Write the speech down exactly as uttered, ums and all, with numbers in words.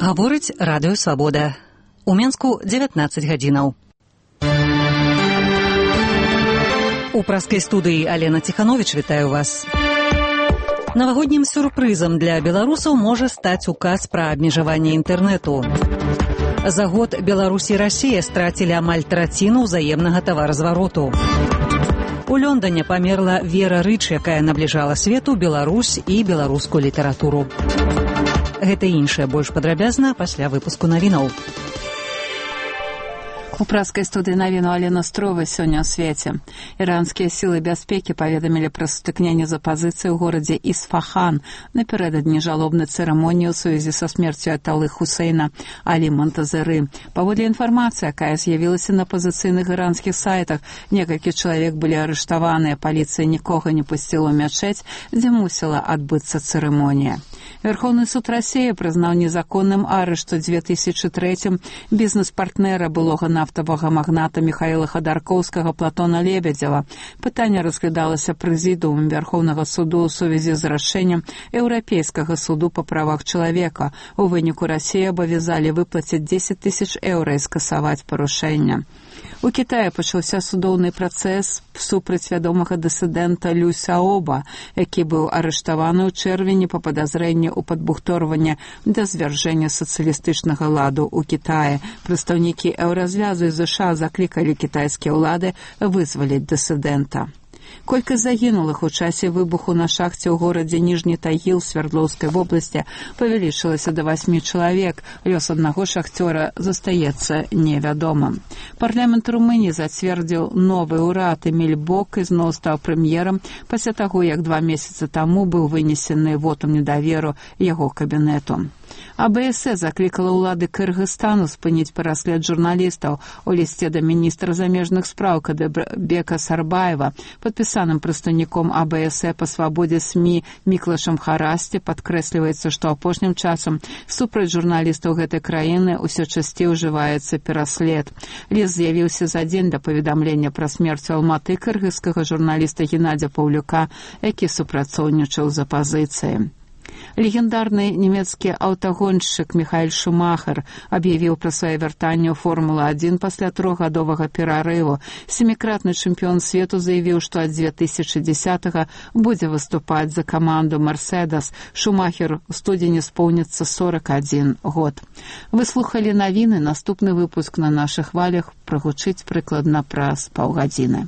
Гаворыць радыё Свабода. У Менску дзевятнаццаць гадзінаў. У праскай студыі Алена Ціхановіч вітаю вас. Навагоднім сюрпрызам для беларусаў можа стаць указ пра абмежаванне інтэрнэту. За год Беларусь і Расія страцілі амаль траціну ўзаемнага таваразвароту. У Лондоне памерла Вера Рыч, якая набліжала свету Беларусь і беларускую літаратуру. Гэта і іншае больш падрабязна пасля выпуску навінаў. У праскай студыі навіну Алена Строва сёння ў свеце. Іранскія сілы бяспекі паведамілі пра сутыкненне з апазіцыяй у горадзе Ісфахан напярэдадні жалобнай цырымоніі ў сувязі са смерцю Аяталы Хусейна Алі Монтазеры. Паводле інфармацыі, якая з'явілася на апазіцыйных іранскіх сайтах, некалькі чалавек былі арыштаваныя, паліцыя нікога не пусціла ў мячэць, дзе мусіла адбыцца цырымонія. Верховны суд Расіі прызнаў незаконным арышт у две тысячы трэцім бізнес-партнера былога нафтавага магната Михаіла Хадаркоўскага Платона Лебедзева. Пытанне разглядалася прэзідыумам Верховнага суду ў сувязі з рашэннем Еўрапейскага суду па правах чалавека. У выніку Расіі абавязалі выплаціць дзесяць тысяч еўра і скасаваць парушэнне. У Кітаі пачаўся судоўны працэс супраць вядомага дысідэнта Лю Сяоба, які быў арыштаваны ў чэрвені па падазрэнні ў падбухторванні да звяржэння сацыялістычнага ладу ў Кітаі. Прадстаўнікі еўразвязу і ЗША заклікалі кітайскія ўлады вызваліць дысідэнта. Колькасць загінулых у часе выбуху на шахце ў горадзе Ніжні Тагіл Свердлоўскай вобласці павялічылася да васьмі чалавек. Лёс аднаго шахцёра застаецца невядомым. Парламент Румыніі зацвердзіў новы ўрад. Эміль Бок ізноў стаў прэм'ерам пасля таго, як два месяцы таму быў вынесены вотум недаверу яго кабінету. АБС заклікала ўлады Кыргызстану спыніць пераслед журналістаў. У лісце да міністра замежных спраў Кадырбека Сарбаева, падпісаным прадстаўніком АБС па свабодзе СМІ Міклашам Харасці, падкрэсліваецца, што апошнім часам супраць журналістаў гэтай краіны ўсё часцей ужываецца пераслед. Ліст з'явіўся за дзень да паведамлення пра смерць у Алматы кыргызскага журналіста Геннадзя Паўлюка, які супрацоўнічаў з апазіцыяй. Легендарны нямецкі аўтагоншчык Міхаэль Шумахер аб'явіў пра сваё вяртанне ў Формула адзін пасля трохгадовага перарыву. Сямікратны чэмпіён свету заявіў, што ад две тысячы дзесятага будзе выступаць за каманду «Мерседес». Шумахер у студзені споўніцца сорак адзін год. Вы слухалі навіны, наступны выпуск на нашых хвалях прагучыць прыкладна праз паўгадзіны.